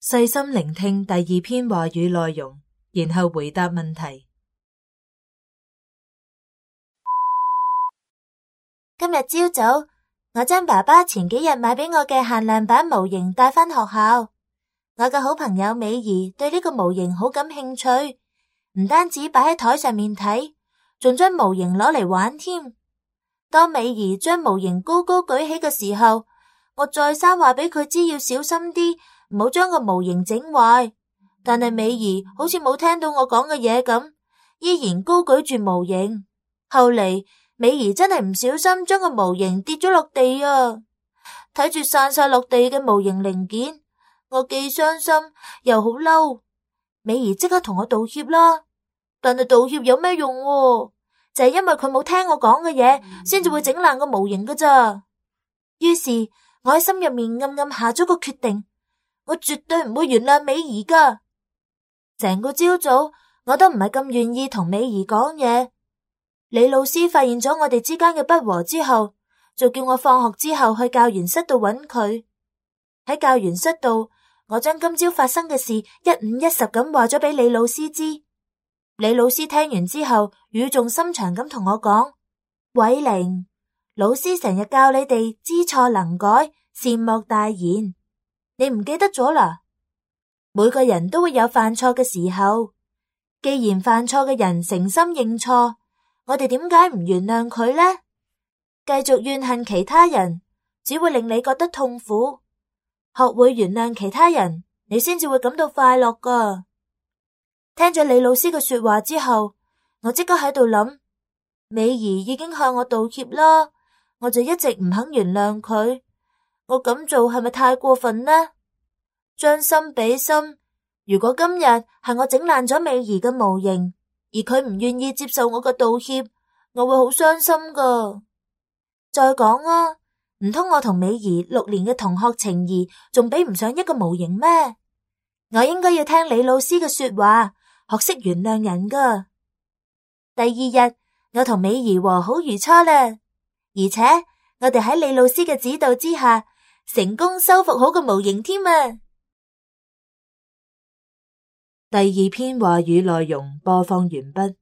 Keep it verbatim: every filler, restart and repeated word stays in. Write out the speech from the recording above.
細心聆聽第二篇話語內容，然後回答問題。今日朝早，我將爸爸前幾日買俾我嘅限量版模型帶返學校。我嘅好朋友美儀對呢個模型好感興趣，唔單止擺喺台上面睇，仲將模型攞嚟玩添。當美儀將模型高高舉起嘅時候，我再三話俾佢知要小心啲，唔好將個模型整壞。但係美儀好似冇聽到我講嘅嘢咁，依然高舉住模型。後嚟美儀真係唔小心將個模型跌咗落地啊！睇住散晒落地嘅模型零件，我既傷心又好嬲。美儀即刻同我道歉啦，但係道歉有咩用喎？就係因為佢冇聽我講嘅嘢，先至會整爛個模型㗎咋。於是我喺心入面暗暗下咗個決定，我絕對唔會原諒美儀㗎。成個朝早我都唔係咁願意同美儀講嘢。李老師發現咗我哋之間嘅不和之後，就叫我放學之後去教員室度揾佢。喺教員室度，我將今朝發生嘅事一五一十咁話咗俾李老師知。李老師聽完之後，語重心長咁同我講：偉玲，老師成日教你哋知錯能改，善莫大焉，你唔記得咗啦？每個人都會有犯錯嘅時候，既然犯錯嘅人誠心認錯，我哋點解唔原諒佢呢？繼續怨恨其他人，只會令你覺得痛苦。學會原諒其他人，你先至會感到快樂㗎。聽咗李老師嘅說話之後，我即刻喺度諗，美儀已經向我道歉啦，我就一直唔肯原諒佢。我咁做係咪太過分呢？將心比心，如果今日係我整爛咗美儀嘅模型，而佢唔願意接受我嘅道歉，我會好傷心㗎。再講啊，唔通我同美儀六年嘅同學情誼仲比唔上一個模型咩？我應該要聽李老師嘅說話，學識原諒人㗎。第二日，我同美儀和好如初啦，而且我哋喺李老師嘅指導之下，成功修復好個模型添啊！第二篇話語內容播放完畢。